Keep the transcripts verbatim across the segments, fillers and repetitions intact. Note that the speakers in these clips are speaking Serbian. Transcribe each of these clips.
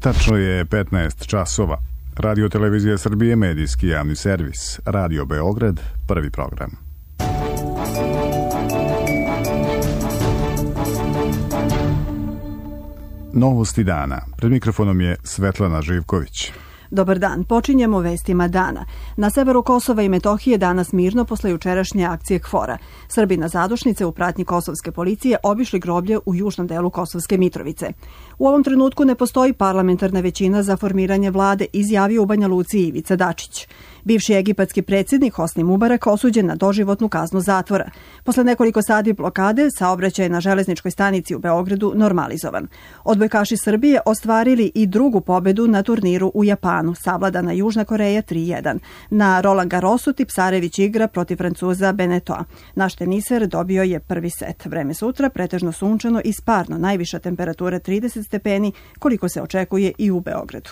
Tačno je petnaest časova. Radio Televizija Srbije, medijski javni servis. Radio Beograd, prvi program. Novosti dana. Pred mikrofonom je Svetlana Živković. Dobar dan, počinjemo vestima dana. Na severu Kosova i Metohije danas mirno posle jučerašnje akcije KFOR-a. Srbi na zadušnice u pratnji kosovske policije obišli groblje u južnom delu Kosovske Mitrovice. U ovom trenutku ne postoji parlamentarna većina za formiranje vlade, izjavio u Banja Luci Ivica Dačić. Bivši egipatski predsjednik Hosni Mubarak osuđen na doživotnu kaznu zatvora. Posle nekoliko sati blokade, saobraćaj na železničkoj stanici u Beogradu normalizovan. Odbojkaši Srbije ostvarili i drugu pobedu na turniru u Japanu, savladana Južna Koreja tri jedan. Na Roland Garrosu Tipsarević igra protiv Francuza Benetoa. Naš teniser dobio je prvi set. Vreme sutra pretežno sunčano i sparno, najviša temperatura trideset stepeni, koliko se očekuje i u Beogradu.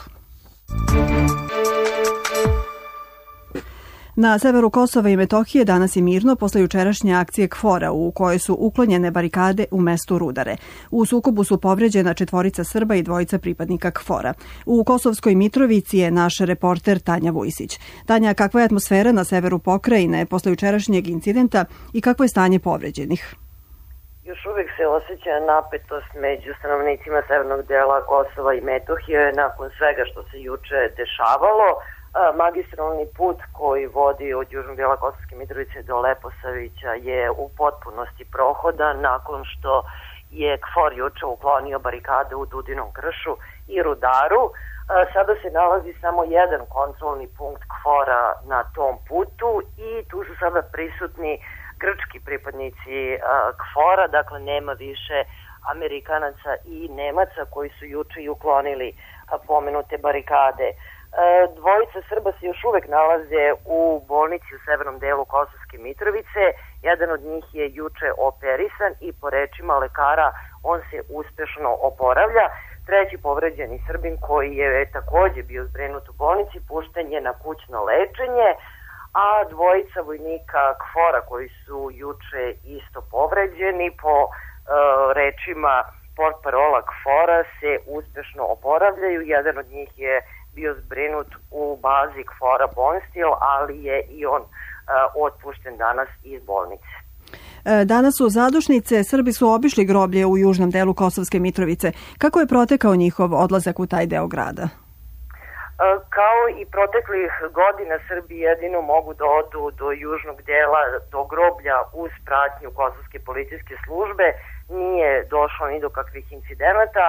Na severu Kosova i Metohije danas je mirno posle jučerašnje akcije KFOR-a u kojoj su uklonjene barikade u mestu Rudare. U sukobu su povređena četvorica Srba i dvojica pripadnika KFOR-a. U Kosovskoj Mitrovici je naš reporter Tanja Vujsić. Tanja, kakva je atmosfera na severu pokrajine posle jučerašnjeg incidenta i kakvo je stanje povređenih? Još uvijek se osjeća napetost među stanovnicima severnog dela Kosova i Metohije nakon svega što se juče dešavalo. Magistralni put koji vodi od južnog dela Kosovske Mitrovice do Leposavića je u potpunosti prohodan nakon što je KFOR juče uklonio barikade u Dudinom kršu i Rudaru. Sada se nalazi samo jedan kontrolni punkt KFOR-a na tom putu i tu su sada prisutni grčki pripadnici KFOR-a, dakle nema više Amerikanaca i Nemaca koji su juče i uklonili pomenute barikade. Dvojica Srba se još uvek nalaze u bolnici u severnom delu Kosovske Mitrovice. Jedan od njih je juče operisan i po rečima lekara on se uspešno oporavlja. Treći povređeni Srbin koji je takođe bio zbrinut u bolnici pušten je na kućno lečenje, a dvojica vojnika KFOR-a koji su juče isto povređeni po uh, rečima portparola KFOR-a se uspešno oporavljaju. Jedan od njih je bio zbrinut u bazi KFOR-a Bonstil, ali je i on uh, otpušten danas iz bolnice. Danas u zadušnice Srbi su obišli groblje u južnom delu Kosovske Mitrovice. Kako je protekao njihov odlazak u taj deo grada? Kao i proteklih godina, Srbi jedino mogu da odu do južnog dela, do groblja uz pratnju kosovske policijske službe. Nije došlo ni do kakvih incidenata,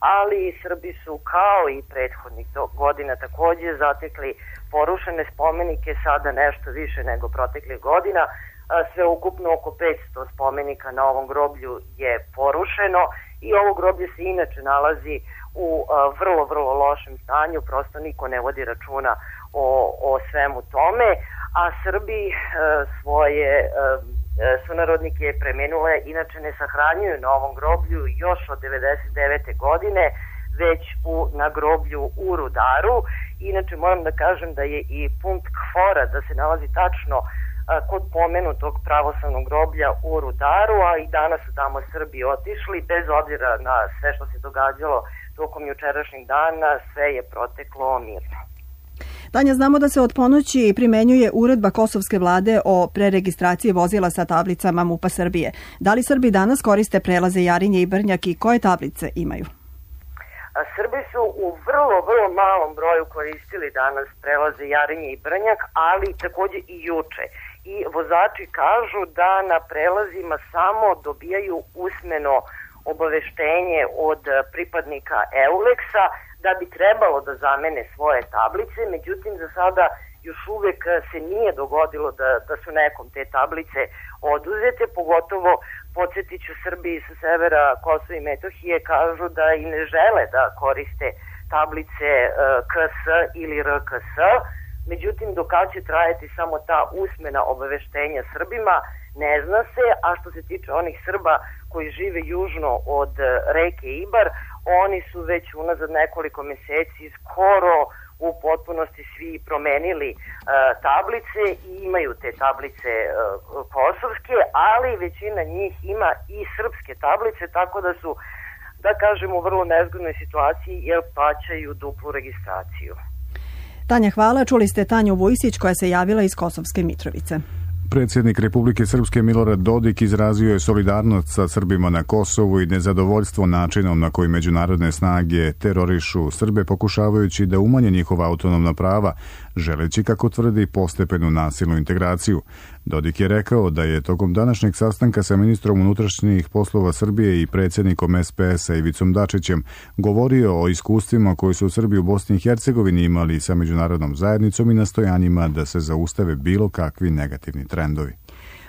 ali Srbi su kao i prethodnih godina takođe zatekli porušene spomenike, sada nešto više nego proteklih godina. Sve ukupno oko petsto spomenika na ovom groblju je porušeno i ovo groblje se inače nalazi u vrlo, vrlo lošem stanju, prosto niko ne vodi računa o, o svemu tome, a Srbi svoje sunarodnike preminule inače ne sahranjuju na ovom groblju još od devedeset devete godine, već u, na groblju u Rudaru. Inače moram da kažem da je i punkt KFOR-a da se nalazi tačno kod pomenutog pravoslavnog groblja u Rudaru, a i danas su tamo Srbi otišli, bez obzira na sve što se događalo tokom jučerašnjeg dana, sve je proteklo mirno. Tanja, znamo da se od ponoći primenjuje uredba kosovske vlade o preregistraciji vozila sa tablicama MUP-a Srbije. Da li Srbi danas koriste prelaze Jarinje i Brnjak i koje tablice imaju? Srbi su u vrlo, vrlo malom broju koristili danas prelaze Jarinje i Brnjak, ali takođe i juče. I vozači kažu da na prelazima samo dobijaju usmeno obaveštenje od pripadnika Euleksa da bi trebalo da zamene svoje tablice, međutim za sada još uvek se nije dogodilo da, da su nekom te tablice oduzete, pogotovo podsjetit ću Srbiji sa severa Kosova i Metohije kažu da i ne žele da koriste tablice K S ili R K S, međutim do kada će trajati samo ta usmena obaveštenja Srbima ne zna se, a što se tiče onih Srba koji žive južno od reke Ibar, oni su već unazad nekoliko meseci skoro u potpunosti svi promenili uh, tablice i imaju te tablice uh, kosovske, ali većina njih ima i srpske tablice, tako da su uh, da kažem u vrlo nezgodnoj situaciji jer plaćaju duplu registraciju. Tanja, hvala. Čuli ste Tanju Vujsić koja se javila iz Kosovske Mitrovice. Predsjednik Republike Srpske Milorad Dodik izrazio je solidarnost sa Srbima na Kosovu i nezadovoljstvo načinom na koji međunarodne snage terorišu Srbe pokušavajući da umanje njihova autonomna prava, želeći, kako tvrdi, postepenu nasilnu integraciju. Dodik je rekao da je tokom današnjeg sastanka sa ministrom unutrašnjih poslova Srbije i predsjednikom es pe es-a Ivicom Dačićem govorio o iskustvima koji su Srbi u Bosni i Hercegovini imali sa međunarodnom zajednicom i nastojanjima da se zaustave bilo kakvi negativni trendovi.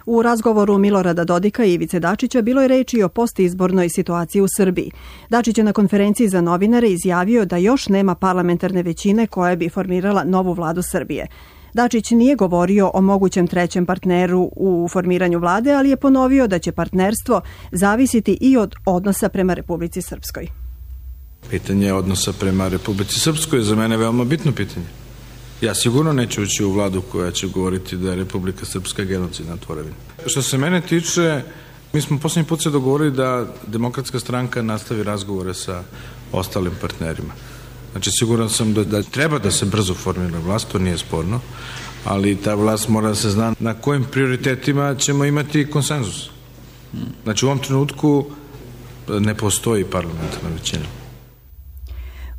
U razgovoru Milorada Dodika i Ivice Dačića bilo je reči o postizbornoj situaciji u Srbiji. Dačić je na konferenciji za novinare izjavio da još nema parlamentarne većine koja bi formirala novu vladu Srbije. Dačić nije govorio o mogućem trećem partneru u formiranju vlade, ali je ponovio da će partnerstvo zavisiti i od odnosa prema Republici Srpskoj. Pitanje odnosa prema Republici Srpskoj je za mene veoma bitno pitanje. Ja sigurno neću ući u vladu koja će govoriti da je Republika Srpska genocidna tvorevina. Što se mene tiče, mi smo posljednji put se dogovorili da Demokratska stranka nastavi razgovore sa ostalim partnerima. Znači, siguran sam da, da treba da se brzo formira vlast, to nije sporno, ali ta vlast mora da se zna na kojim prioritetima ćemo imati konsenzus. Znači, u ovom trenutku ne postoji parlamentarna većina.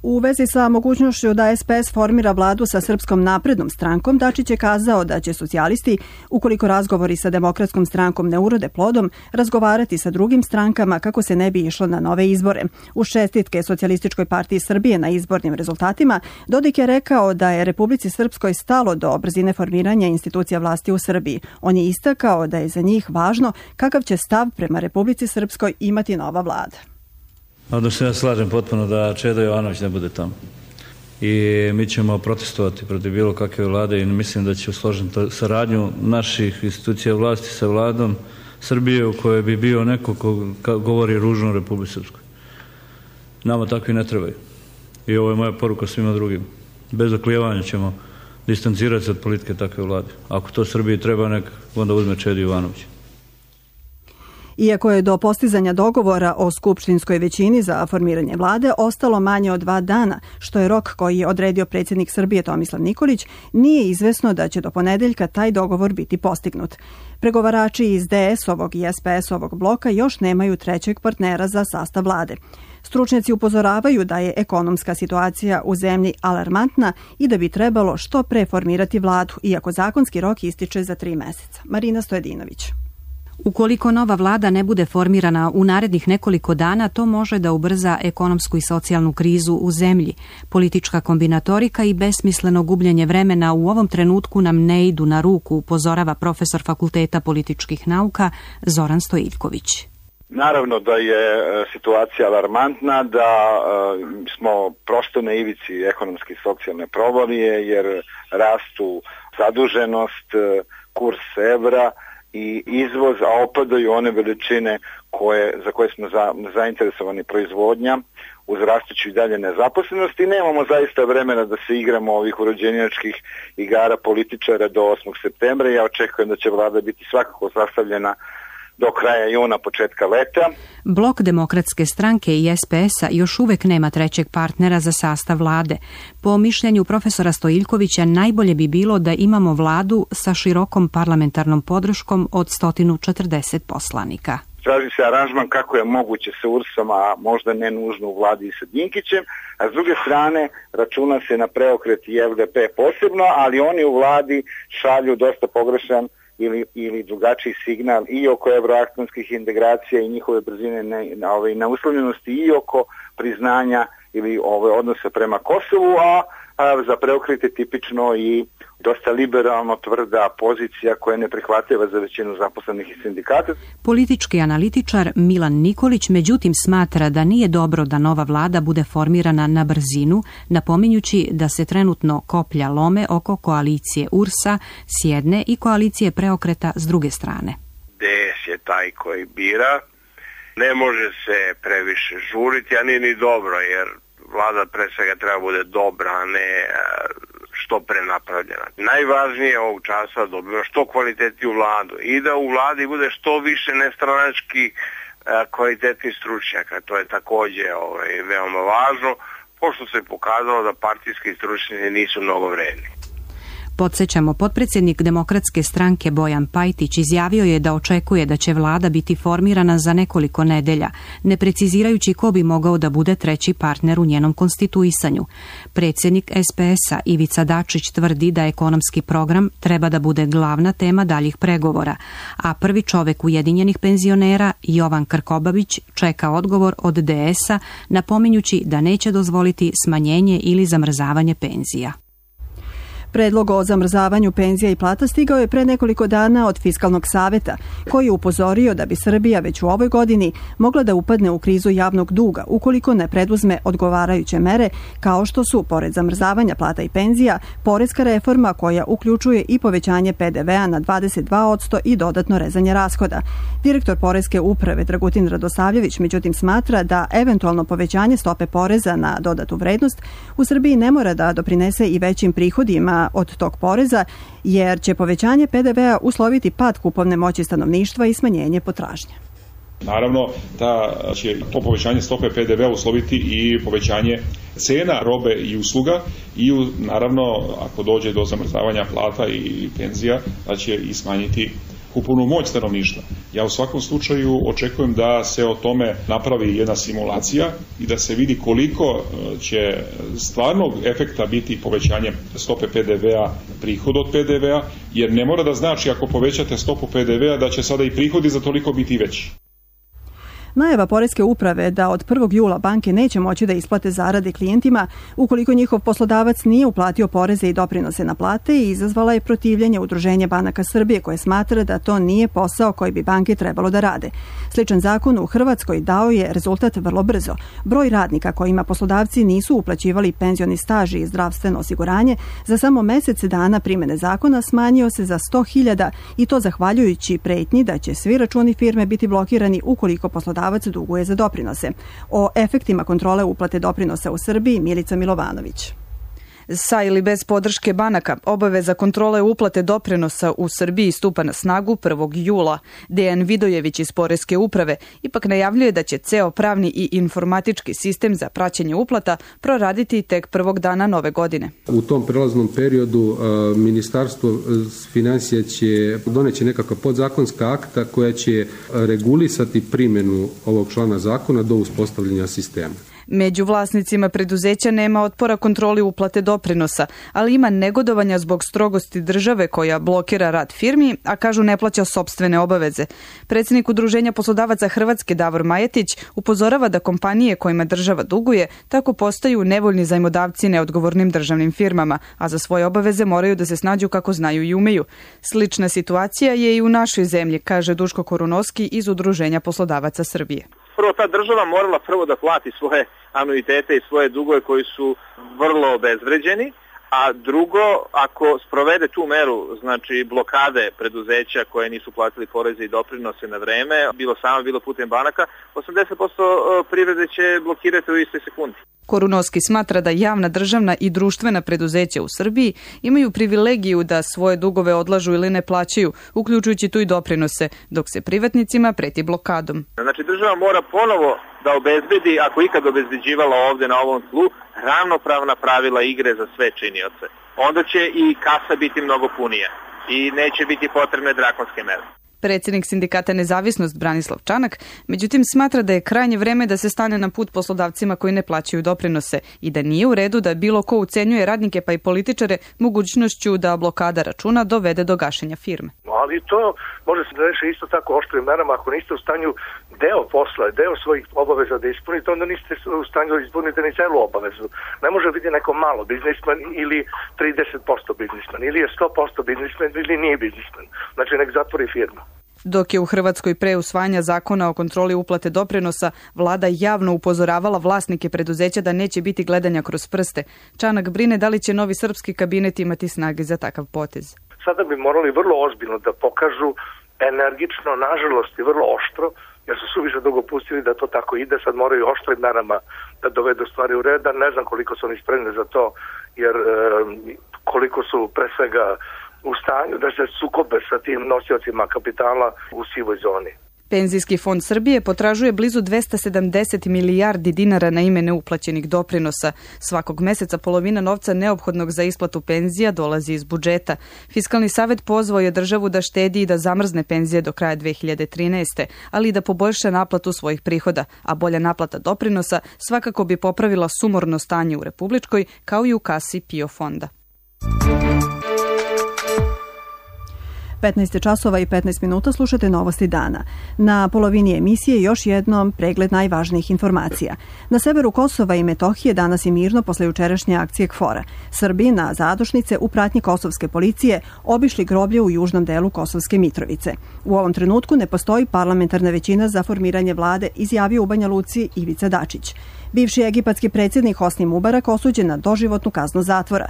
U vezi sa mogućnošću da es pe es formira vladu sa Srpskom naprednom strankom, Dačić je kazao da će socijalisti, ukoliko razgovori sa Demokratskom strankom ne urode plodom, razgovarati sa drugim strankama kako se ne bi išlo na nove izbore. Uz čestitke Socijalističkoj partiji Srbije na izbornim rezultatima, Dodik je rekao da je Republici Srpskoj stalo do brzine formiranja institucija vlasti u Srbiji. On je istakao da je za njih važno kakav će stav prema Republici Srpskoj imati nova vlada. Onda se ja slažem potpuno da Čeda Jovanović ne bude tamo. I mi ćemo protestovati protiv bilo kakve vlade i mislim da će usložiti saradnju naših institucija vlasti sa vladom Srbije u kojoj bi bio neko ko govori ružno o Republici Srpskoj. Nama takvi ne trebaju. I ovo je moja poruka svima drugim. Bez oklijevanja ćemo distancirati se od politike takve vlade. Ako to Srbiji treba, nek onda uzme Čeda Jovanović. Iako je do postizanja dogovora o skupštinskoj većini za formiranje vlade ostalo manje od dva dana, što je rok koji je odredio predsjednik Srbije Tomislav Nikolić, nije izvesno da će do ponedeljka taj dogovor biti postignut. Pregovarači iz de es-ovog i es pe es-ovog bloka još nemaju trećeg partnera za sastav vlade. Stručnjaci upozoravaju da je ekonomska situacija u zemlji alarmantna i da bi trebalo što pre formirati vladu, iako zakonski rok ističe za tri meseca. Marina Stojedinović. Ukoliko nova vlada ne bude formirana u narednih nekoliko dana, to može da ubrza ekonomsku i socijalnu krizu u zemlji. Politička kombinatorika i besmisleno gubljenje vremena u ovom trenutku nam ne idu na ruku, upozorava profesor Fakulteta političkih nauka Zoran Stojiljković. Naravno da je situacija alarmantna, da smo prosto na ivici ekonomske i socijalne provalije, jer rastu zaduženost, kurs evra i izvoz, a opadaju one veličine koje, za koje smo za, zainteresovani proizvodnja uz rastuću i dalje nezaposlenost i nemamo zaista vremena da se igramo ovih urođenjačkih igara političara do osmog septembra. Ja očekujem da će vlada biti svakako sastavljena do kraja juna, početka leta. Blok Demokratske stranke i es pe es-a još uvek nema trećeg partnera za sastav vlade. Po mišljenju profesora Stojiljkovića, najbolje bi bilo da imamo vladu sa širokom parlamentarnom podrškom od sto četrdeset poslanika. Traži se aranžman kako je moguće sa U R S-om, a možda ne nužno u vladi i sa Dinkićem, a s druge strane računa se na preokret i el de pe posebno, ali oni u vladi šalju dosta pogrešan ili, ili drugačiji signal i oko evroatlantskih integracija i njihove brzine na, na, ove, na uslovljenosti i oko priznanja ili ove odnose prema Kosovu, a, a za preokret je tipično i dosta liberalno tvrda pozicija koja je neprihvatljiva za većinu zaposlenih i sindikata. Politički analitičar Milan Nikolić međutim smatra da nije dobro da nova vlada bude formirana na brzinu, napominjući da se trenutno koplja lome oko koalicije U R S-a s jedne i koalicije preokreta s druge strane. de es je taj koji bira, ne može se previše žuriti, a nije ni dobro, jer vlada pre svega treba bude dobra, a ne što pre napravljena. Najvažnije je ovog časa da dobiva što kvalitetniju vladu i da u vladi bude što više nestranački kvalitetnih stručnjaka. To je takođe ovaj, veoma važno, pošto se pokazalo da partijski stručnjaci nisu mnogo vredni. Podsjećamo, potpredsjednik Demokratske stranke Bojan Pajtić izjavio je da očekuje da će vlada biti formirana za nekoliko nedelja, ne precizirajući ko bi mogao da bude treći partner u njenom konstituisanju. Predsjednik es pe es-a Ivica Dačić tvrdi da ekonomski program treba da bude glavna tema daljih pregovora, a prvi čovek Ujedinjenih penzionera, Jovan Krkobabić, čeka odgovor od de es-a, napominjući da neće dozvoliti smanjenje ili zamrzavanje penzija. Predlog o zamrzavanju penzija i plata stigao je pre nekoliko dana od Fiskalnog saveta, koji je upozorio da bi Srbija već u ovoj godini mogla da upadne u krizu javnog duga ukoliko ne preduzme odgovarajuće mere, kao što su, pored zamrzavanja plata i penzija, poreska reforma koja uključuje i povećanje pe de ve-a na dvadeset dva posto i dodatno rezanje rashoda. Direktor Poreske uprave Dragutin Radosavljević međutim smatra da eventualno povećanje stope poreza na dodatu vrednost u Srbiji ne mora da doprinese i većim prihodima od tog poreza, jer će povećanje pe de ve-a usloviti pad kupovne moći stanovništva i smanjenje potražnje. Naravno da će to povećanje stope pe de ve-a usloviti i povećanje cena robe i usluga i naravno ako dođe do zamrzavanja plata i penzija da će i smanjiti kupovnu moć stanovništva. Ja u svakom slučaju očekujem da se o tome napravi jedna simulacija i da se vidi koliko će stvarnog efekta biti povećanje stope pe de ve-a, prihod od pe de ve-a, jer ne mora da znači ako povećate stopu pe de ve-a da će sada i prihodi za toliko biti veći. Najava Poreske uprave da od prvog jula banke neće moći da isplate zarade klijentima ukoliko njihov poslodavac nije uplatio poreze i doprinose na plate i izazvala je protivljenje Udruženja banaka Srbije koje smatra da to nije posao koji bi banke trebalo da rade. Sličan zakon u Hrvatskoj dao je rezultat vrlo brzo. Broj radnika kojima poslodavci nisu uplaćivali penzioni staž i zdravstveno osiguranje za samo mesec dana primene zakona smanjio se za sto hiljada i to zahvaljujući pretnji da će svi računi firme biti blokirani ukoliko poslodavac duguje za doprinose. O efektima kontrole uplate doprinosa u Srbiji Milica Milovanović. Sa ili bez podrške banaka, obaveza kontrole uplate doprinosa u Srbiji stupa na snagu prvog jula. Dejan Vidojević iz Poreske uprave ipak najavljuje da će ceo pravni i informatički sistem za praćenje uplata proraditi tek prvog dana nove godine. U tom prelaznom periodu Ministarstvo finansija će doneći nekakva podzakonska akta koja će regulisati primjenu ovog člana zakona do uspostavljanja sistema. Među vlasnicima preduzeća nema otpora kontroli uplate doprinosa, ali ima negodovanja zbog strogosti države koja blokira rad firmi, a kažu ne plaća sopstvene obaveze. Predsjednik Udruženja poslodavaca Hrvatske Davor Majetić upozorava da kompanije kojima država duguje tako postaju nevoljni zajmodavci neodgovornim državnim firmama, a za svoje obaveze moraju da se snađu kako znaju i umeju. Slična situacija je i u našoj zemlji, kaže Duško Korunovski iz Udruženja poslodavaca Srbije. Prvo, ta država morala prvo da plati svoje anuitete i svoje dugove koji su vrlo obezvređeni, a drugo, ako sprovede tu meru, znači blokade preduzeća koje nisu platili poreze i doprinose na vreme, bilo samo, bilo putem banaka, osamdeset posto privrede će blokirati u istoj sekundi. Korunovski smatra da javna, državna i društvena preduzeća u Srbiji imaju privilegiju da svoje dugove odlažu ili ne plaćaju, uključujući tu i doprinose, dok se privatnicima preti blokadom. Znači država mora ponovo da obezbedi, ako ikad obezbeđivala ovde na ovom tlu, ravnopravna pravila igre za sve činioce. Onda će i kasa biti mnogo punija i neće biti potrebne drakonske mere. Predsjednik sindikata Nezavisnost Branislav Čanak, međutim smatra da je krajnje vreme da se stane na put poslodavcima koji ne plaćaju doprinose i da nije u redu da bilo ko ucenjuje radnike pa i političare mogućnošću da blokada računa dovede do gašenja firme. Ali to može se da reši isto tako oštrim merama. Ako niste u stanju deo posla, deo svojih obaveza da ispunite, onda niste u stanju da ispunite ni celu obavezu. Ne može biti neko malo biznismen ili trideset posto biznismen, ili je sto posto biznismen ili nije biznismen. Znači nek zatvori firmu. Dok je u Hrvatskoj pre usvajanja zakona o kontroli uplate doprinosa vlada javno upozoravala vlasnike preduzeća da neće biti gledanja kroz prste, Čanak brine da li će novi srpski kabinet imati snage za takav potez. Sada bi morali vrlo ozbiljno da pokažu energično, nažalost i vrlo oštro, jer su suviše dugo pustili da to tako ide, sad moraju oštrim merama da dovedu stvari u red, ne znam koliko su oni spremni za to, jer e, koliko su pre svega u stanju da se sukobe sa tim nosiocima kapitala u sivoj zoni. Penzijski fond Srbije potražuje blizu dvesta sedamdeset milijardi dinara na ime neuplaćenih doprinosa. Svakog meseca polovina novca neophodnog za isplatu penzija dolazi iz budžeta. Fiskalni savet pozvao je državu da štedi i da zamrzne penzije do kraja dve hiljade trinaeste. ali i da poboljša naplatu svojih prihoda, a bolja naplata doprinosa svakako bi popravila sumorno stanje u Republičkoj kao i u kasi PIO fonda. petnaest časova i petnaest minuta slušate Novosti dana. Na polovini emisije još jednom pregled najvažnijih informacija. Na severu Kosova i Metohije danas je mirno posle jučerašnje akcije KFOR-a. Srbi na zadušnice u pratnji kosovske policije obišli groblje u južnom delu Kosovske Mitrovice. U ovom trenutku ne postoji parlamentarna većina za formiranje vlade, izjavio u Banja Luci Ivica Dačić. Bivši egipatski predsjednik Hosni Mubarak osuđen na doživotnu kaznu zatvora.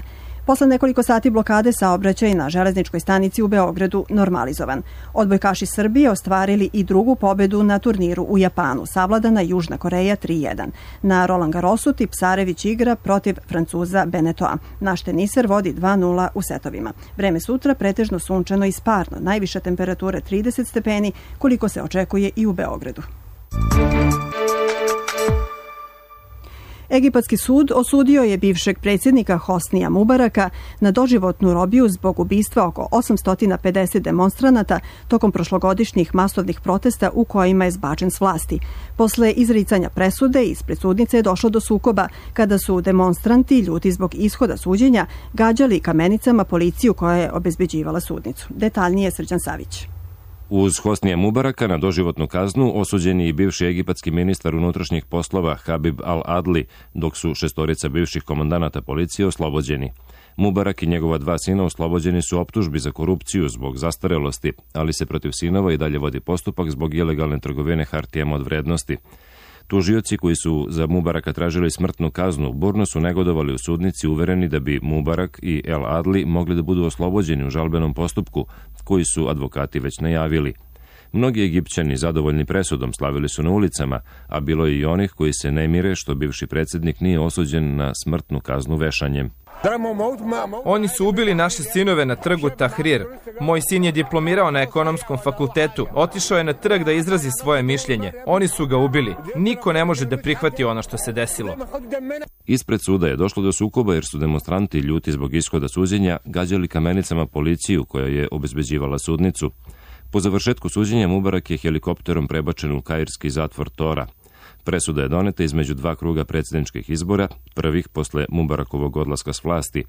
Posle nekoliko sati blokade saobraćaj na železničkoj stanici u Beogradu normalizovan. Odbojkaši Srbije ostvarili i drugu pobedu na turniru u Japanu. Savladana Južna Koreja tri jedan. Na Roland Garrosu Tipsarević igra protiv Francuza Benetoa. Naš teniser vodi dva nula u setovima. Vreme sutra pretežno sunčano i sparno. Najviša temperatura trideset stepeni, koliko se očekuje i u Beogradu. Egipatski sud osudio je bivšeg predsjednika Hosnija Mubaraka na doživotnu robiju zbog ubistva oko osamsto pedeset demonstranata tokom prošlogodišnjih masovnih protesta u kojima je zbačen s vlasti. Posle izricanja presude ispred sudnice je došlo do sukoba kada su demonstranti, ljuti zbog ishoda suđenja, gađali kamenicama policiju koja je obezbeđivala sudnicu. Detaljnije Srđan Savić. Uz Hosnija Mubaraka na doživotnu kaznu osuđen je i bivši egipatski ministar unutrašnjih poslova Habib al-Adli, dok su šestorica bivših komandanata policije oslobođeni. Mubarak i njegova dva sina oslobođeni su optužbi za korupciju zbog zastarelosti, ali se protiv sinova i dalje vodi postupak zbog ilegalne trgovine hartijama od vrednosti. Tužioci koji su za Mubaraka tražili smrtnu kaznu burno su negodovali u sudnici, uvereni da bi Mubarak i El Adli mogli da budu oslobođeni u žalbenom postupku, koji su advokati već najavili. Mnogi Egipćani zadovoljni presudom slavili su na ulicama, a bilo je i onih koji se ne mire što bivši predsjednik nije osuđen na smrtnu kaznu vešanjem. Oni su ubili naše sinove na trgu Tahrir. Moj sin je diplomirao na ekonomskom fakultetu. Otišao je na trg da izrazi svoje mišljenje. Oni su ga ubili. Niko ne može da prihvati ono što se desilo. Ispred suda je došlo do sukoba jer su demonstranti ljuti zbog ishoda suđenja gađali kamenicama policiju koja je obezbeđivala sudnicu. Po završetku suđenja Mubarak je helikopterom prebačen u kairski zatvor Tora. Presuda je doneta između dva kruga predsjedničkih izbora, prvih posle Mubarakovog odlaska s vlasti.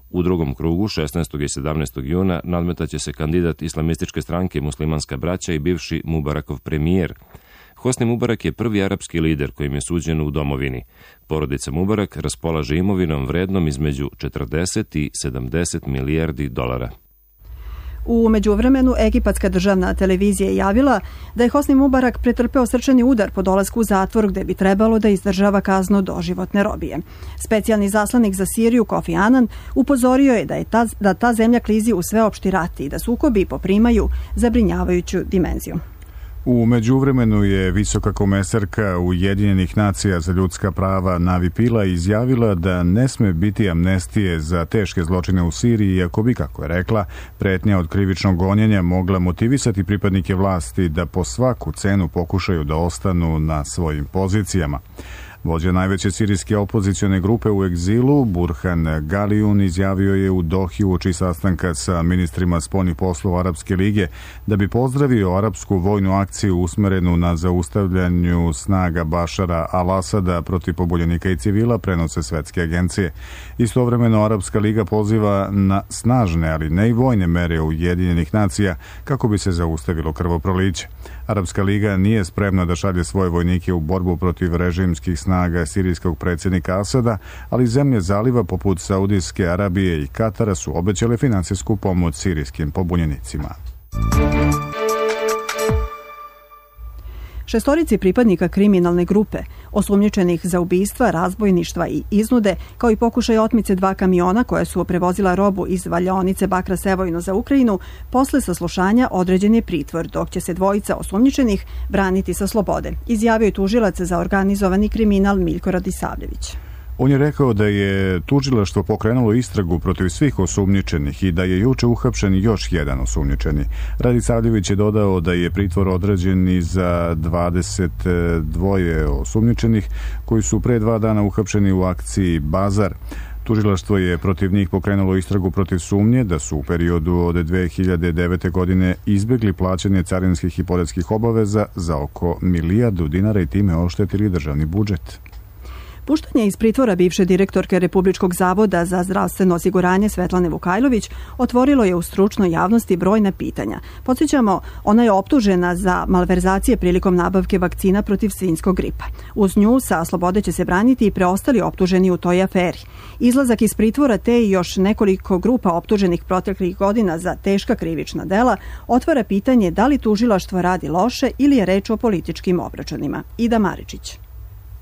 U drugom krugu, šesnaestog i sedamnaestog juna, nadmetaće se kandidat islamističke stranke Muslimanska braća i bivši Mubarakov premijer. Hosni Mubarak je prvi arapski lider kojim je suđen u domovini. Porodica Mubarak raspolaže imovinom vrednom između četrdeset i sedamdeset milijardi dolara. U međuvremenu, egipatska državna televizija je javila da je Hosni Mubarak pretrpeo srčani udar po dolasku u zatvor gde bi trebalo da izdržava kaznu doživotne robije. Specijalni zaslanik za Siriju Kofi Anan upozorio je da, je ta, da ta zemlja klizi u sveopšti rat i da sukobi poprimaju zabrinjavajuću dimenziju. U međuvremenu je visoka komesarka Ujedinjenih nacija za ljudska prava Navi Pillay izjavila da ne sme biti amnestije za teške zločine u Siriji, iako bi, kako je rekla, pretnja od krivičnog gonjenja mogla motivisati pripadnike vlasti da po svaku cenu pokušaju da ostanu na svojim pozicijama. Vođa najveće sirijske opozicione grupe u egzilu, Burhan Galijun, izjavio je u Dohi uoči sastanka sa ministrima spoljnih poslova Arapske lige da bi pozdravio arapsku vojnu akciju usmerenu na zaustavljanju snaga Bašara al-Asada protiv pobunjenika i civila, prenose svetske agencije. Istovremeno, Arapska liga poziva na snažne, ali ne i vojne mere Ujedinjenih nacija kako bi se zaustavilo krvoproliće. Arapska liga nije spremna da šalje svoje vojnike u borbu protiv režimskih snaga sirijskog predsjednika Asada, ali zemlje zaliva poput Saudijske Arabije i Katara su obećale finansijsku pomoć sirijskim pobunjenicima. Šestorici pripadnika kriminalne grupe, osumnjičenih za ubistva, razbojništva i iznude, kao i pokušaj otmice dva kamiona koja su prevozila robu iz valjaonice Bakra Sevojno za Ukrajinu, posle saslušanja određen je pritvor, dok će se dvojica osumnjičenih braniti sa slobode, izjavio je tužilac za organizovani kriminal Miljko Radisavljević. On je rekao da je tužilaštvo pokrenulo istragu protiv svih osumnjičenih i da je juče uhapšen još jedan osumnjičeni. Radisavljević je dodao da je pritvor određen i za dvadeset dva osumnjičenih koji su pre dva dana uhapšeni u akciji Bazar. Tužilaštvo je protiv njih pokrenulo istragu protiv sumnje da su u periodu od dve hiljade devete. godine izbjegli plaćanje carinskih i poreskih obaveza za oko milijardu dinara i time oštetili državni budžet. Puštanje iz pritvora bivše direktorke Republičkog zavoda za zdravstveno osiguranje Svetlane Vukajlović otvorilo je u stručnoj javnosti brojna pitanja. Podsjećamo, ona je optužena za malverzacije prilikom nabavke vakcina protiv svinjskog gripa. Uz nju sa slobode će se braniti i preostali optuženi u toj aferi. Izlazak iz pritvora te i još nekoliko grupa optuženih proteklih godina za teška krivična dela otvara pitanje da li tužilaštvo radi loše ili je reč o političkim obračunima. Ida Maričić.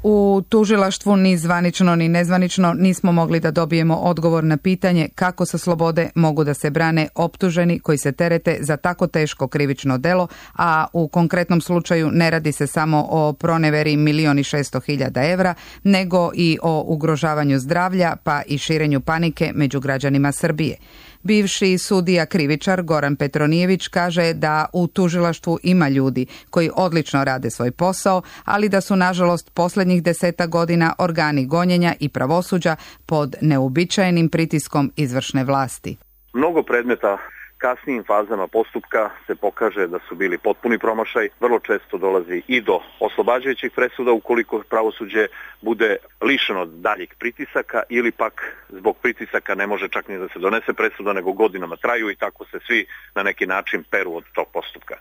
U tužilaštvu ni zvanično ni nezvanično nismo mogli da dobijemo odgovor na pitanje kako sa slobode mogu da se brane optuženi koji se terete za tako teško krivično delo, a u konkretnom slučaju ne radi se samo o proneveri milion i šesto hiljada evra, nego i o ugrožavanju zdravlja pa i širenju panike među građanima Srbije. Bivši sudija krivičar Goran Petronijević kaže da u tužilaštvu ima ljudi koji odlično rade svoj posao, ali da su nažalost posljednjih deseta godina organi gonjenja i pravosuđa pod neuobičajenim pritiskom izvršne vlasti. Mnogo predmeta kasnijim fazama postupka se pokaže da su bili potpuni promašaj. Vrlo često dolazi i do oslobađajućih presuda ukoliko pravosuđe bude lišeno daljih pritisaka ili pak zbog pritisaka ne može čak ni da se donese presuda nego godinama traju i tako se svi na neki način peru od tog postupka.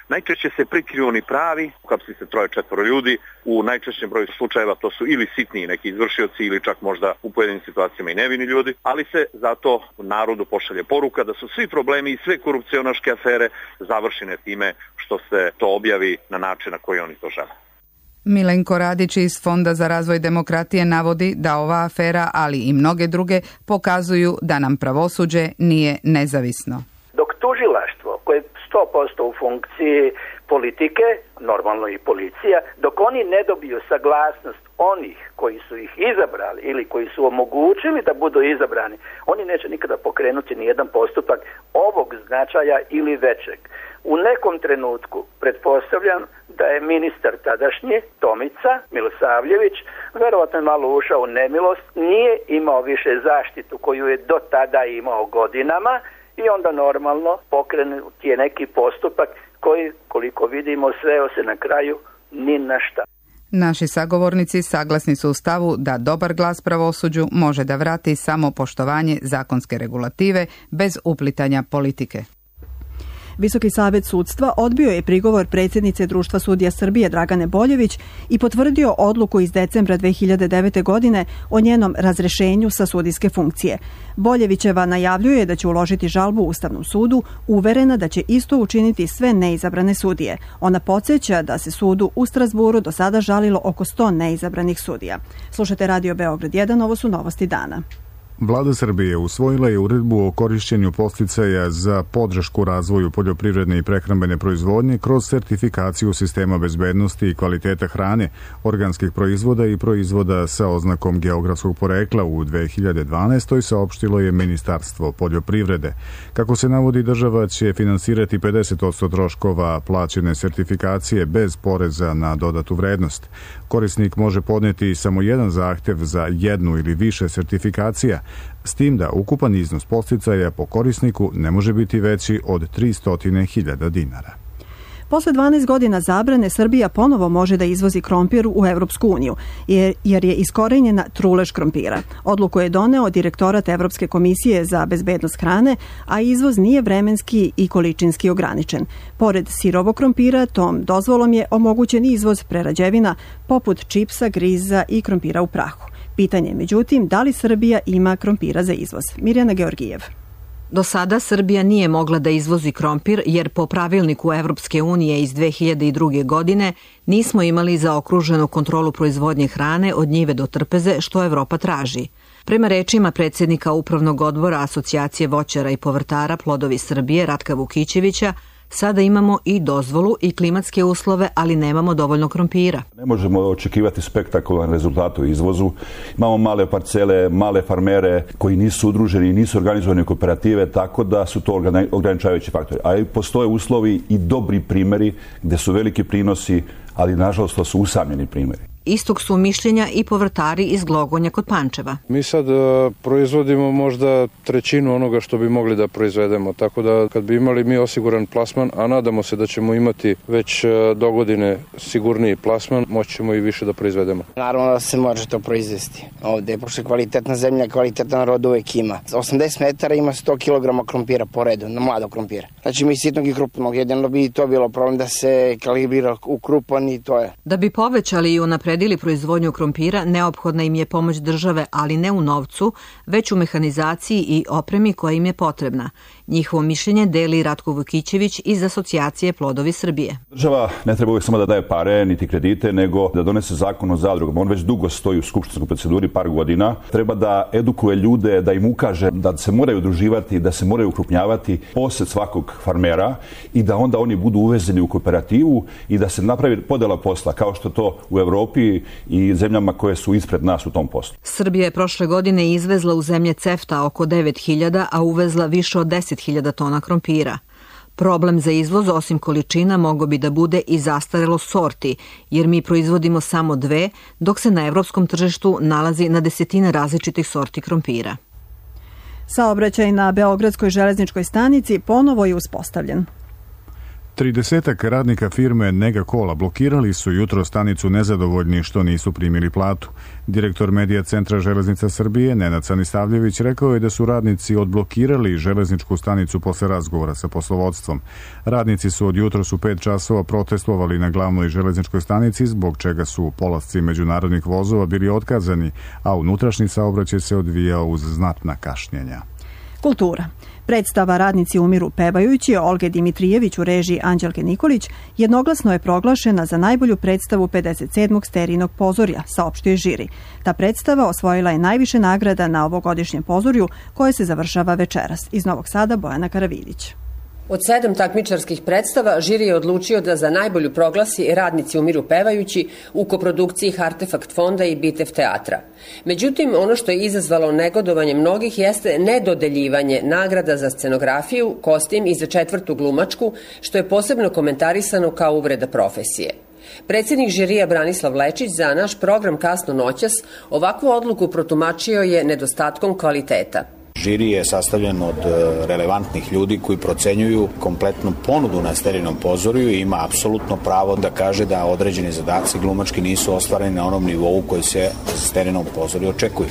Najčešće se prikriju oni pravi, uhapsi se troje četvoro ljudi, u najčešćem broju slučajeva to su ili sitniji neki izvršioci ili čak možda u pojedinim situacijama i nevini ljudi, ali se zato narodu pošalje poruka da su svi problemi i sve korupcionaške afere završene time što se to objavi na način na koji oni to žele. Milenko Radić iz Fonda za razvoj demokratije navodi da ova afera, ali i mnoge druge, pokazuju da nam pravosuđe nije nezavisno. Dok tužilaštvo koje je sto posto u funkciji politike, normalno i policija, dok oni ne dobiju saglasnost onih koji su ih izabrali ili koji su omogućili da budu izabrani, oni neće nikada pokrenuti ni jedan postupak ovog značaja ili većeg. U nekom trenutku pretpostavljam da je ministar tadašnji Tomica Milosavljević verovatno je malo ušao u nemilost, nije imao više zaštitu koju je do tada imao godinama i onda normalno pokrenut je neki postupak koji, koliko vidimo, sveo se na kraju ni na šta. Naši sagovornici saglasni su u stavu da dobar glas pravosuđu može da vrati samo poštovanje zakonske regulative bez uplitanja politike. Visoki savet sudstva odbio je prigovor predsjednice Društva sudija Srbije Dragane Boljević i potvrdio odluku iz decembra dve hiljade devete. godine o njenom razrešenju sa sudijske funkcije. Boljevićeva najavljuje da će uložiti žalbu Ustavnom sudu, uverena da će isto učiniti sve neizabrane sudije. Ona podsjeća da se sudu u Strasburu do sada žalilo oko sto neizabranih sudija. Slušate Radio Beograd jedan, ovo su novosti dana. Vlada Srbije usvojila je uredbu o korišćenju podsticaja za podršku razvoju poljoprivredne i prehrambene proizvodnje kroz sertifikaciju sistema bezbednosti i kvaliteta hrane, organskih proizvoda i proizvoda sa oznakom geografskog porekla u dve hiljade dvanaestoj. saopštilo je Ministarstvo poljoprivrede. Kako se navodi, država će finansirati pedeset posto troškova plaćene sertifikacije bez poreza na dodatu vrednost. Korisnik može podneti samo jedan zahtev za jednu ili više sertifikacija, s tim da ukupan iznos podsticaja po korisniku ne može biti veći od tristo hiljada dinara. Posle dvanaest godina zabrane, Srbija ponovo može da izvozi krompir u Evropsku uniju, jer je iskorenjena trulež krompira. Odluku je doneo Direktorat Evropske komisije za bezbednost hrane, a izvoz nije vremenski i količinski ograničen. Pored sirovog krompira, tom dozvolom je omogućen izvoz prerađevina poput čipsa, griza i krompira u prahu. Pitanje je, međutim, da li Srbija ima krompira za izvoz? Mirjana Georgijev. Do sada Srbija nije mogla da izvozi krompir jer po pravilniku Evropske unije iz dve hiljade druge. godine nismo imali zaokruženu kontrolu proizvodnje hrane od njive do trpeze što Evropa traži. Prema rečima predsjednika Upravnog odbora Asocijacije voćara i povrtara Plodovi Srbije Ratka Vukićevića, Sada imamo i dozvolu i klimatske uslove, ali nemamo dovoljno krompira. Ne možemo očekivati spektakularan rezultat u izvozu. Imamo male parcele, male farmere koji nisu udruženi i nisu organizovani u kooperative, tako da su to ograničavajući faktori. A i postoje uslovi i dobri primjeri gde su veliki prinosi, ali nažalost to su usamljeni primjeri. Istog su mišljenja i povrtari iz Glogonja kod Pančeva. Mi sad uh, proizvodimo možda trećinu onoga što bi mogli da proizvedemo, tako da kad bi imali mi osiguran plasman, a nadamo se da ćemo imati već uh, do godine sigurniji plasman, moći ćemo i više da proizvedemo. Naravno da se može to proizvesti. Ovde, pošto je kvalitetna zemlja, kvalitetan rod uvek ima. osamdeset metara ima sto kilograma krompira po redu, na mladog krompira. Znači mi sitnog i krupnog, jedino bi to bilo problem da se kalibrira u krupan i to je. Da bi povećali i unapredili proizvodnju krompira, neophodna im je pomoć države, ali ne u novcu, već u mehanizaciji i opremi koja im je potrebna. Njihovo mišljenje deli Ratko Vukićević iz Asocijacije Plodovi Srbije. Država ne treba uvijek samo da daje pare, niti kredite, nego da donese zakon o zadrugama. On već dugo stoji u skupštinskoj proceduri, par godina. Treba da edukuje ljude, da im ukaže da se moraju udruživati, da se moraju ukrupnjavati posed svakog farmera i da onda oni budu uvezeni u kooperativu i da se napravi podela posla, kao što to u Evropi i zemljama koje su ispred nas u tom poslu. Srbija je prošle godine izvezla u zemlje CEFTA oko devet hiljada, a uvezla više od deset hiljada tona krompira. Problem za izvoz, osim količina, mogao bi da bude i zastarelo sorti, jer mi proizvodimo samo dve, dok se na evropskom tržištu nalazi na desetine različitih sorti krompira. Saobraćaj na Beogradskoj železničkoj stanici ponovo je uspostavljen. Tridesetak radnika firme Nega Kola blokirali su jutro stanicu nezadovoljni što nisu primili platu. Direktor Medija centra Železnica Srbije, Nenad Sanistavljević, rekao je da su radnici odblokirali železničku stanicu posle razgovora sa poslovodstvom. Radnici su od jutros u pet časova protestovali na glavnoj železničkoj stanici, zbog čega su polasci međunarodnih vozova bili otkazani, a unutrašnji saobraćaj se odvijao uz znatna kašnjenja. Kultura. Predstava Radnici umiru pevajući Olge Dimitrijević u režiji Anđelke Nikolić jednoglasno je proglašena za najbolju predstavu pedeset sedmog Sterijinog pozorja, saopštio je žiri. Ta predstava osvojila je najviše nagrada na ovogodišnjem pozorju koje se završava večeras. Iz Novog Sada Bojana Karavidić. Od sedam takmičarskih predstava žiri je odlučio da za najbolju proglasi Radnici umiru pevajući u koprodukciji Artefakt fonda i Bitev teatra. Međutim, ono što je izazvalo negodovanje mnogih jeste nedodeljivanje nagrada za scenografiju, kostim i za četvrtu glumačku, što je posebno komentarisano kao uvreda profesije. Predsjednik žirija Branislav Lečić za naš program Kasno noćas ovakvu odluku protumačio je nedostatkom kvaliteta. Žiri je sastavljen od relevantnih ljudi koji procenjuju kompletnu ponudu na Sterijinom pozorju i ima apsolutno pravo da kaže da određeni zadaci glumački nisu ostvareni na onom nivou koji se za Sterijinom pozorju očekuju.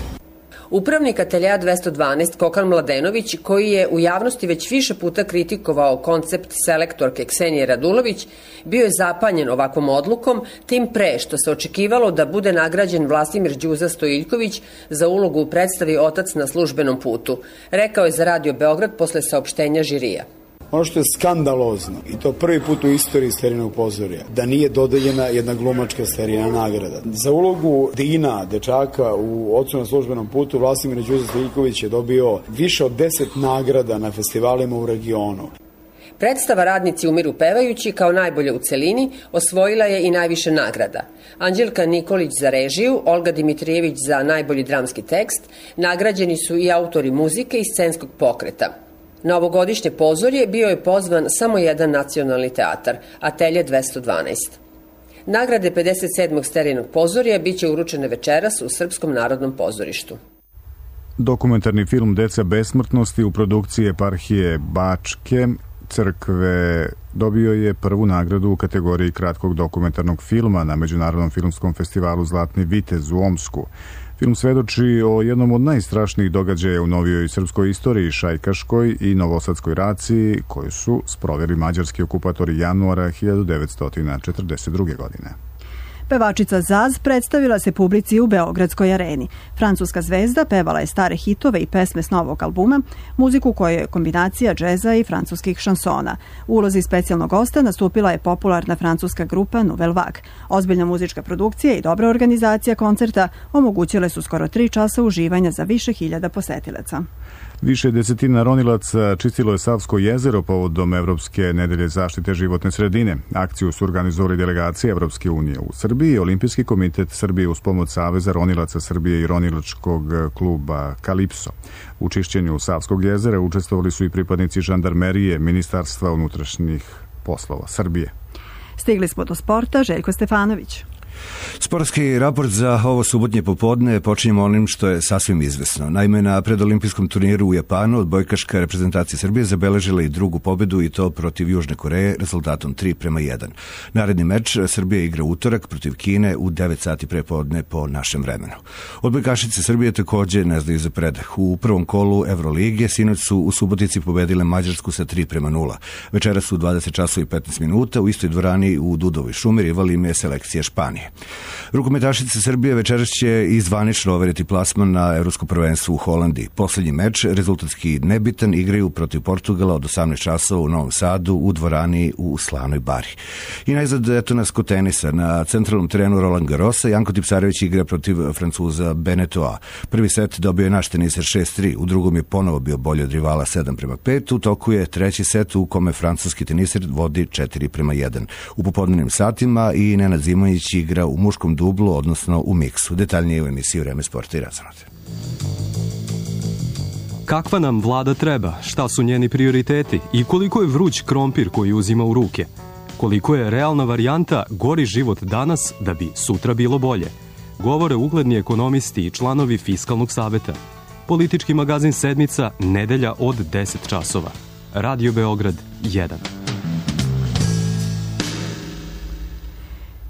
Upravnik ateljeja dvesta dvanaest Kokan Mladenović, koji je u javnosti već više puta kritikovao koncept selektorke Ksenije Radulović, bio je zapanjen ovakvom odlukom, tim pre što se očekivalo da bude nagrađen Vlastimir Đuza Stojiljković za ulogu u predstavi Otac na službenom putu, rekao je za Radio Beograd posle saopštenja žirija. Ono što je skandalozno, i to prvi put u istoriji Sterijinog pozorja, da nije dodeljena jedna glumačka Sterijina nagrada. Za ulogu Dina, dečaka u Ocu na službenom putu, Vlastimir Đuza Stojiljković je dobio više od deset nagrada na festivalima u regionu. Predstava Radnici umiru pevajući kao najbolje u celini osvojila je i najviše nagrada. Anđelka Nikolić za režiju, Olga Dimitrijević za najbolji dramski tekst, nagrađeni su i autori muzike i scenskog pokreta. Na ovogodišnje pozorje bio je pozvan samo jedan nacionalni teatar, Atelje dvesta dvanaest. Nagrade pedeset sedmog Sterijinog pozorja biće uručene večeras u Srpskom narodnom pozorištu. Dokumentarni film Deca besmrtnosti u produkciji Eparhije Bačke crkve dobio je prvu nagradu u kategoriji kratkog dokumentarnog filma na Međunarodnom filmskom festivalu Zlatni vitez u Omsku. Film svedoči o jednom od najstrašnijih događaja u novijoj srpskoj istoriji, šajkaškoj i novosadskoj raciji, koju su sproveli mađarski okupatori januara hiljadu devetsto četrdeset druge. godine. Pevačica Zaz predstavila se publici u Beogradskoj areni. Francuska zvezda pevala je stare hitove i pesme s novog albuma, muziku koja je kombinacija džeza i francuskih šansona. U ulozi specijalnog gosta nastupila je popularna francuska grupa Nouvelle Vague. Ozbiljna muzička produkcija i dobra organizacija koncerta omogućile su skoro tri časa uživanja za više hiljada posetilaca. Više desetina ronilaca čistilo je Savsko jezero povodom Evropske nedelje zaštite životne sredine. Akciju su organizovali delegacije Evropske unije u Srbiji i Olimpijski komitet Srbije uz pomoć Saveza ronilaca Srbije i ronilačkog kluba Kalipso. U čišćenju Savskog jezera učestvovali su i pripadnici žandarmerije Ministarstva unutrašnjih poslova Srbije. Stigli smo do sporta. Željko Stefanović. Sportski raport za ovo subotnje popodne počinjemo onim što je sasvim izvesno. Naime, na predolimpijskom turniru u Japanu odbojkaška reprezentacija Srbije zabeležila i drugu pobedu i to protiv Južne Koreje rezultatom tri prema jedan. Naredni meč Srbija igra utorak protiv Kine u devet sati prepodne po našem vremenu. Odbojkašice Srbije takođe ne znaju za predah. U prvom kolu Evrolige sinoć su u Subotici pobedile Mađarsku sa tri prema nula. Večeras su u dvadeset časova i petnaest minuta u istoj dvorani u Dudovoj šumi rivali im je selekcija Španije. Rukometašice Srbije večeras će i zvanično overiti plasman na Evropsko prvenstvo u Holandiji. Poslednji meč, rezultatski nebitan, igraju protiv Portugala od osamnaest časova u Novom Sadu u dvorani u Slanoj Bari. I najzad, eto nas kod tenisa. Na centralnom terenu Roland Garrosa Janko Tipsarević igra protiv Francuza Benetoa. Prvi set dobio je naš teniser šest tri, u drugom je ponovo bio bolji od rivala sedam prema pet, u toku je treći set u kome francuski teniser vodi četiri prema jedan. U popodnevnim satima i Nenad Zimonjić igra u muškom dublu, odnosno u miksu. Detaljnije u emisiji Vreme sporta i razonode. Kakva nam vlada treba, šta su njeni prioriteti i koliko je vruć krompir koji uzima u ruke? Koliko je realna varijanta gori život danas da bi sutra bilo bolje? Govore ugledni ekonomisti i članovi Fiskalnog saveta. Politički magazin Sedmica, nedelja od deset časova. Radio Beograd jedan.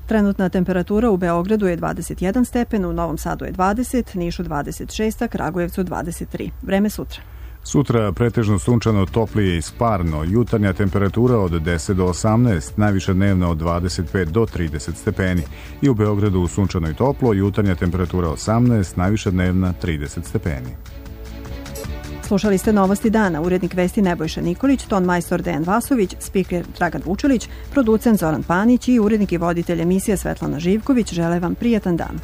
Trenutna temperatura u Beogradu je dvadeset jedan stepen, u Novom Sadu je dvadeset, Nišu dvadeset šest, a Kragujevcu dvadeset tri. Vreme sutra. Sutra pretežno sunčano, toplije i sparno. Jutarnja temperatura od deset do osamnaest, najviša dnevna od dvadeset pet do trideset stepeni. I u Beogradu sunčano i toplo, jutarnja temperatura osamnaest, najviša dnevna trideset stepeni. Slušali ste Novosti dana, urednik vesti Nebojša Nikolić, ton majstor Dejan Vasović, spiker Dragan Vučilić, producent Zoran Panić i urednik i voditelj emisije Svetlana Živković. Žele vam prijatan dan.